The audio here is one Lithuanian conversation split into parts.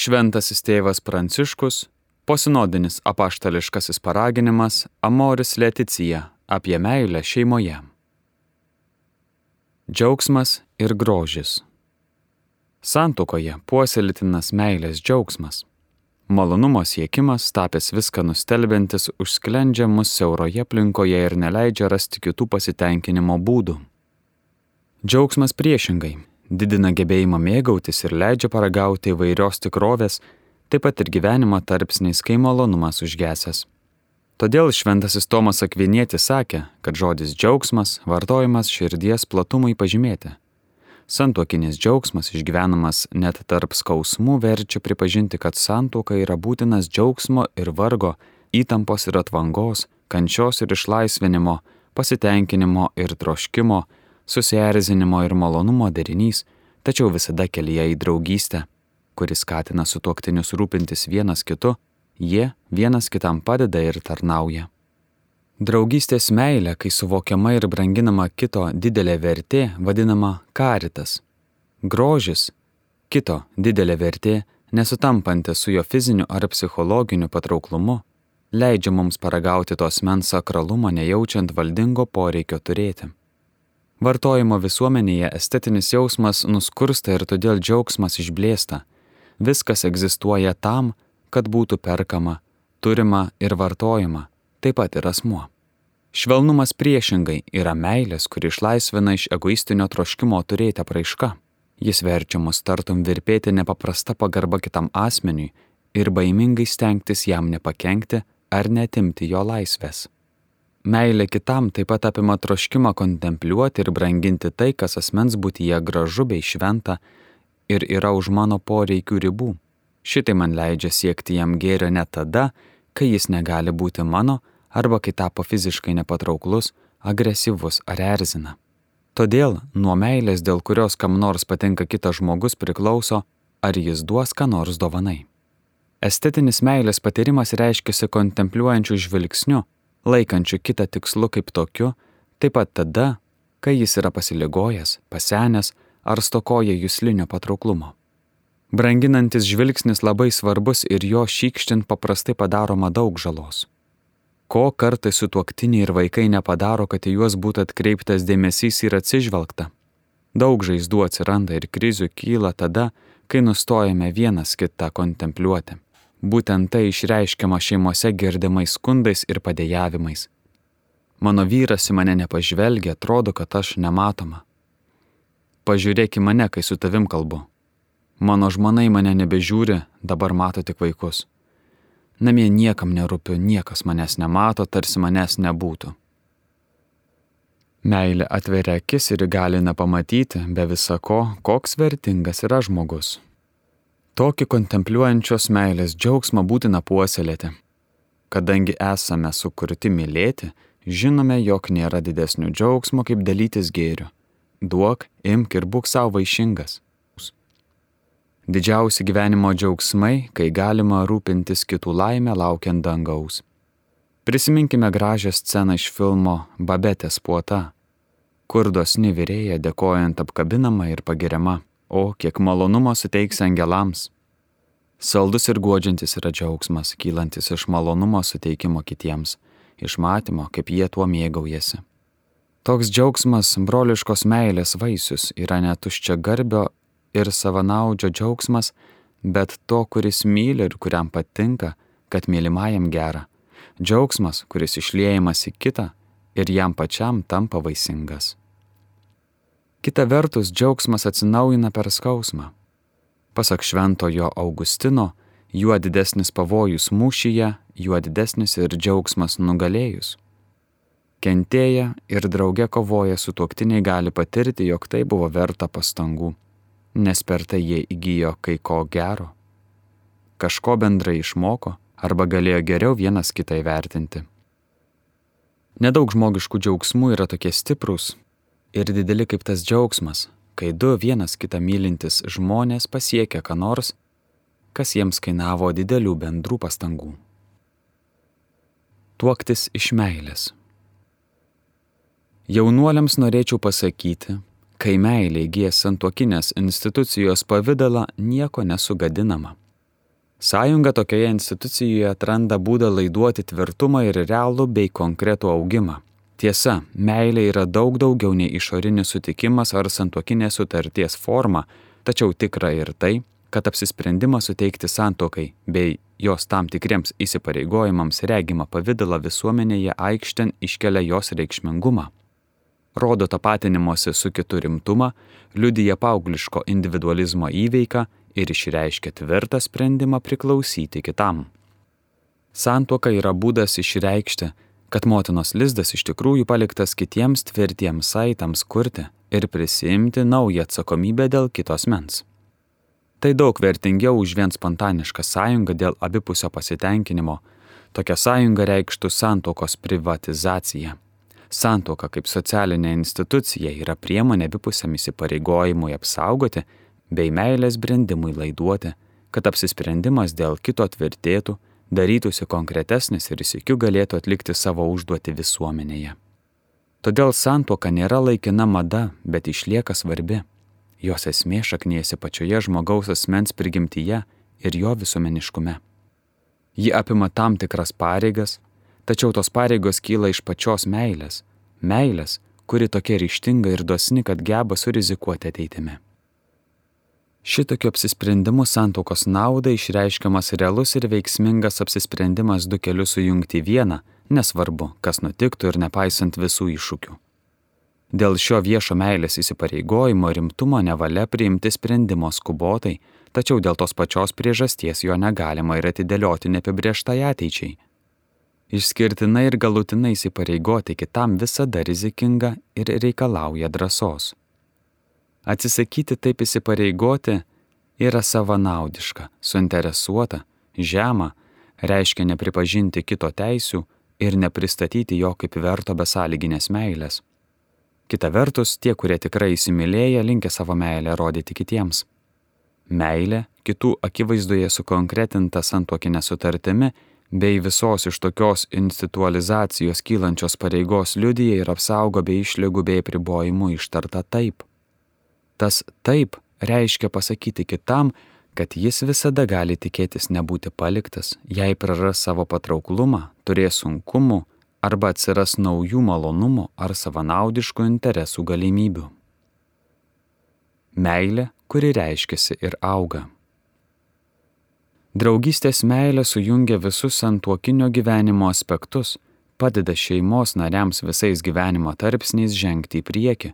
Šventasis tėvas Pranciškus, posinodinis apaštališkasis paraginimas Amoris Laetitia apie meilę šeimoje. Džiaugsmas ir grožis. Santuokoje puoselėtinas meilės džiaugsmas. Malonumo siekimas, tapęs viską nustelbiantis, užsklendžia mus siauroje aplinkoje ir neleidžia rasti kitų pasitenkinimo būdų. Džiaugsmas priešingai didina gebėjimą mėgautis ir leidžia paragauti įvairios tikrovės, taip pat ir gyvenimo tarpsniais, kai malonumas užgesęs. Todėl šventasis Tomas Akvinietis sakė, kad žodis džiaugsmas vartojamas širdies platumui pažymėti. Santuokinis džiaugsmas išgyvenamas net tarp skausmų verčia pripažinti, kad santuoka yra būtinas džiaugsmo ir vargo, įtampos ir atvangos, kančios ir išlaisvinimo, pasitenkinimo ir troškimo, susierzinimo ir malonumo derinys, tačiau visada kelyje į draugystę, kuris skatina sutuoktinius rūpintis vienas kitu, jie vienas kitam padeda ir tarnauja. Draugystės meilė, kai suvokiama ir branginama kito didelė vertė, vadinama caritas. Grožis, kito didelė vertė, nesutampanti su jo fiziniu ar psichologiniu patrauklumu, leidžia mums paragauti tos asmens sakralumą, nejaučiant valdingo poreikio turėti. Vartojimo visuomenėje estetinis jausmas nuskursta ir todėl džiaugsmas išblėsta. Viskas egzistuoja tam, kad būtų perkama, turima ir vartojama, taip pat ir asmuo. Švelnumas priešingai yra meilės, kuri išlaisvina iš egoistinio troškimo turėti apraiška. Jis verčia mus tartum virpėti nepaprasta pagarba kitam asmeniui ir baimingai stengtis jam nepakenkti ar neatimti jo laisvės. Meilė kitam taip pat apima troškimą kontempliuoti ir branginti tai, kas asmens būtyje gražu bei šventa ir yra už mano poreikių ribų. Šitai man leidžia siekti jam gėrio net tada, kai jis negali būti mano arba kai tapo fiziškai nepatrauklus, agresyvus ar erzina. Todėl nuo meilės, dėl kurios kam nors patinka kitas žmogus, priklauso, ar jis duos ką nors dovanai. Estetinis meilės patyrimas reiškiasi kontempliuojančių žvilgsniu, laikančių kitą tikslu kaip tokiu, taip pat tada, kai jis yra pasiligojęs, pasenęs ar stokoja juslinio patrauklumo. Branginantis žvilgsnis labai svarbus ir jo šykštint paprastai padaroma daug žalos. Ko kartais sutuoktiniai ir vaikai nepadaro, kad į juos būtų atkreiptas dėmesys ir atsižvelgta. Daug žaizdų atsiranda ir krizių kyla tada, kai nustojame vienas kitą kontempliuoti. Būtent tai išreiškiama šeimose girdimais skundais ir padėjavimais. Mano vyras į mane nepažvelgia, atrodo, kad aš nematoma. Pažiūrėk į mane, kai su tavim kalbu. Mano žmona į mane nebežiūri, dabar mato tik vaikus. Namie niekam nerūpiu, niekas manęs nemato, tarsi manęs nebūtų. Meilė atveria akis ir įgalina pamatyti, be visa ko, koks vertingas yra žmogus. Tokį kontempliuojančios meilės džiaugsmą būtina puoselėti. Kadangi esame sukurti mylėti, žinome, jog nėra didesnio džiaugsmo kaip dalytis gėriu. Duok, imk ir būk savo vaišingas. Didžiausi gyvenimo džiaugsmai, kai galima rūpintis kitų laimę laukiant dangaus. Prisiminkime gražią sceną iš filmo Babetės puota, kur dosni virėja dėkojant apkabinama ir pagiriama, o kiek malonumo suteiks angelams. Saldus ir guodžiantis yra džiaugsmas, kylantis iš malonumo suteikimo kitiems, iš matymo, kaip jie tuo mėgaujasi. Toks džiaugsmas, broliškos meilės vaisius, yra ne tuščiagarbio ir savanaudžio džiaugsmas, bet to, kuris myli ir kuriam patinka, kad mylimajam gera. Džiaugsmas, kuris išliejamas į kitą ir jam pačiam tampa vaisingas. Kita vertus, džiaugsmas atsinaujina per skausmą. Pasak šventojo Augustino, juo didesnis pavojus mūšyje, juo didesnis ir džiaugsmas nugalėjus. Kentėję ir drauge kovoję sutuoktiniai gali patirti, jog tai buvo verta pastangų, nes per tai jie įgijo kai ko gero. Kažko bendrai išmoko arba galėjo geriau vienas kitą įvertinti. Nedaug žmogiškų džiaugsmų yra tokie stiprūs ir dideli kaip tas džiaugsmas, kai du vienas kitą mylintis žmonės pasiekia ką nors, kas jiems kainavo didelių bendrų pastangų. Tuoktis iš meilės. Jaunuoliams norėčiau pasakyti, kai meilė įgyja santuokinės institucijos pavidalą, nieko nesugadinama. Sąjunga tokioje institucijoje atranda būdą laiduoti tvirtumą ir realų bei konkretų augimą. Tiesa, meilė yra daug daugiau nei išorinis sutikimas ar santuokinės sutarties forma, tačiau tikra ir tai, kad apsisprendimas suteikti santuokai bei jos tam tikriems įsipareigojimams regimą pavidalą visuomenėje aikštėn iškelia jos reikšmingumą. Rodo tapatinimosi su kitu rimtumą, liudija paaugliško individualizmo įveiką ir išreiškia tvirtą sprendimą priklausyti kitam. Santuoka yra būdas išreikšti, kad motinos lizdas iš tikrųjų paliktas kitiems tvirtiems saitams kurti ir prisiimti naują atsakomybę dėl kito asmens. Tai daug vertingiau už vien spontanišką sąjungą dėl abipusio pasitenkinimo. Tokia sąjunga reikštų santuokos privatizaciją. Santuoka kaip socialinė institucija yra priemonė abipusiam įsipareigojimui apsaugoti bei meilės brendimui laiduoti, kad apsisprendimas dėl kito tvirtėtų, darytųsi konkretesnis ir sykiu galėtų atlikti savo užduotį visuomenėje. Todėl santuoka nėra laikina mada, bet išlieka svarbi. Jos esmė šaknijasi pačioje žmogaus asmens prigimtyje ir jo visuomeniškume. Ji apima tam tikras pareigas, tačiau tos pareigos kyla iš pačios meilės, kuri tokia ryžtinga ir dosni, kad geba surizikuoti ateitimi. Šitokiu apsisprendimu santuokos naudai išreiškiamas realus ir veiksmingas apsisprendimas du kelius sujungti į vieną, nesvarbu, kas nutiktų ir nepaisant visų iššūkių. Dėl šio viešo meilės įsipareigojimo rimtumo nevalia priimti sprendimo skubotai, tačiau dėl tos pačios priežasties jo negalima ir atidėlioti neapibrėžtai ateičiai. Išskirtinai ir galutinai įsipareigoti kitam visada rizikinga ir reikalauja drąsos. Atsisakyti taip įsipareigoti yra savanaudiška, suinteresuota, žema, reiškia nepripažinti kito teisių ir nepristatyti jo kaip verto besąlyginės meilės. Kita vertus, tie, kurie tikrai įsimylėję, linkę savo meilę rodyti kitiems. Meilė, kitų akivaizdoje sukonkretinta santuokinė sutartimi, bei visos iš tokios institualizacijos kylančios pareigos liudija ir apsaugo bei išlygų bei apribojimų ištarta taip. Tas taip reiškia pasakyti kitam, kad jis visada gali tikėtis nebūti paliktas, jei praras savo patrauklumą, turės sunkumų arba atsiras naujų malonumų ar savanaudiškų interesų galimybių. Meilė, kuri reiškiasi ir auga. Draugystės meilė sujungia visus santuokinio gyvenimo aspektus, padeda šeimos nariams visais gyvenimo tarpsniais žengti į priekį,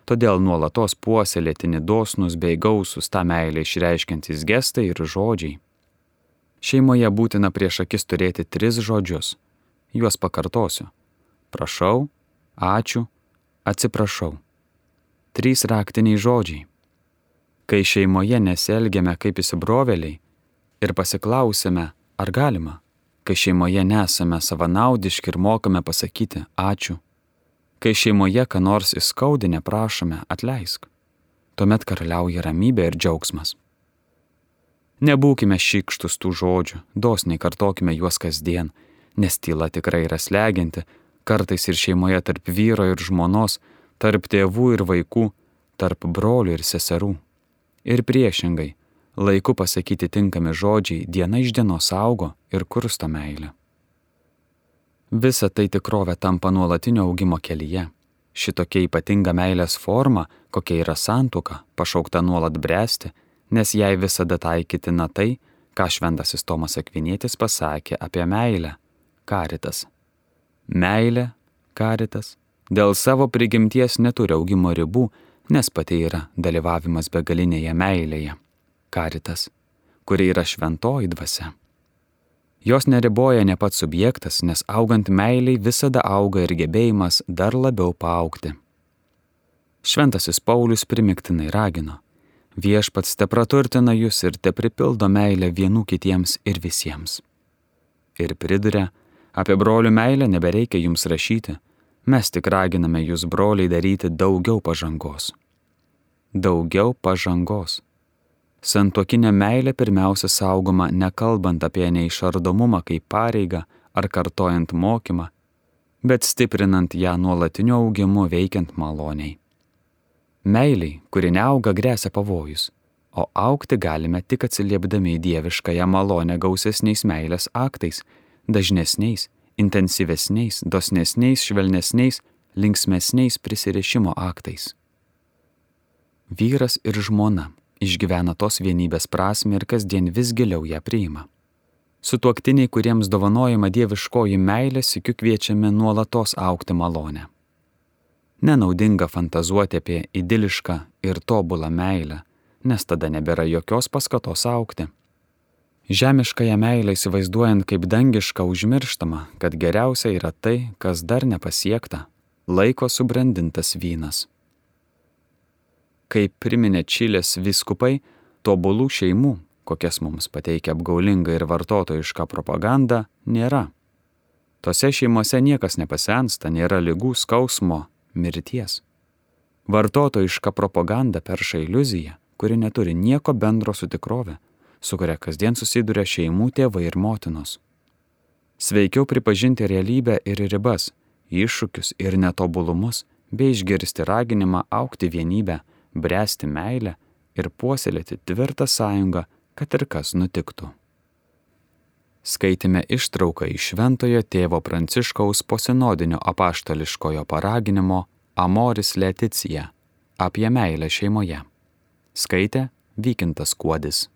todėl nuolatos puoselėtini dosnūs bei gausūs tą meilę išreiškiantys gestai ir žodžiai. Šeimoje būtina prieš akis turėti 3 žodžius. Juos pakartosiu. Prašau, ačiū, atsiprašau. 3 raktiniai žodžiai. Kai šeimoje nesielgiame kaip įsibrovėliai ir pasiklausime, ar galima, kai šeimoje nesame savanaudiški ir mokame pasakyti ačiū, kai šeimoje ką nors įskaudinę prašome atleisk, tuomet karaliauja ramybė ir džiaugsmas. Nebūkime šykštus tų žodžių, dosniai kartokime juos kasdien, nes tyla tikrai yra slegianti, kartais ir šeimoje tarp vyro ir žmonos, tarp tėvų ir vaikų, tarp brolių ir seserų. Ir priešingai, laiku pasakyti tinkami žodžiai diena iš dienos augo ir kursto meilę. Visa tai tikrovė tampa nuolatinio augimo kelyje. Šitokia ypatinga meilės forma, kokia yra santuoka, pašaukta nuolat bręsti, nes jai visada taikytina tai, ką šventasis Tomas Akvinietis pasakė apie meilę. Karitas. Meilė, karitas, dėl savo prigimties neturi augimo ribų, nes pati yra dalyvavimas begalinėje meilėje. Karitas, kuri yra šventoji dvasia. Jos neriboja ne pats subjektas, nes augant meiliai visada auga ir gebėjimas dar labiau paaugti. Šventasis Paulius primiktinai ragino: Viešpats tepraturtina jūs ir tepripildo meilę vienų kitiems ir visiems. Ir priduria: apie brolių meilę nebereikia jums rašyti, mes tik raginame jūs, broliai, daryti daugiau pažangos. Daugiau pažangos. Santuokinė meilė pirmiausia saugoma nekalbant apie neišardomumą kaip pareigą ar kartojant mokymą, bet stiprinant ją nuolatiniu augimu veikiant maloniai. Meiliai, kuri neauga, gresia pavojus. o augti galime tik atsiliepdami į dieviškąją malonę gausesniais meilės aktais, dažnesniais, intensyvesniais, dosnesniais, švelnesniais, linksmesniais prisirišimo aktais. Vyras ir žmona išgyvena tos vienybės prasmę ir kasdien vis giliau ją priima. Sutuoktiniai, kuriems dovanojama dieviškoji meilė, sykiu kviečiami nuolatos augti malonę. Nenaudinga fantazuoti apie idilišką ir tobulą meilę, nes tada nebėra jokios paskatos augti. Žemiškąją meilę įsivaizduojant kaip dangišką užmirštama, kad geriausia yra tai, kas dar nepasiekta, laiko subrandintas vynas. Kaip priminė Čilės vyskupai, tobulų šeimų, kokias mums pateikia apgaulinga ir vartotojiška propaganda, nėra. Tose šeimose niekas nepasensta, nėra ligų, skausmo, mirties. Vartotojiška propaganda perša iliuziją, kuri neturi nieko bendro su tikrove, su kuria kasdien susiduria šeimų tėvai ir motinos. Sveikiau pripažinti realybę ir ribas, iššūkius ir netobulumus, bei išgirsti raginimą augti vienybę, bręsti meilę ir puoselėti tvirtą sąjungą, kad ir kas nutiktų. Skaitėme ištrauką iš Šventojo tėvo Pranciškaus posinodinio apaštališkojo paraginimo Amoris Laetitia apie meilę šeimoje. Skaitė Vykintas Kuodis.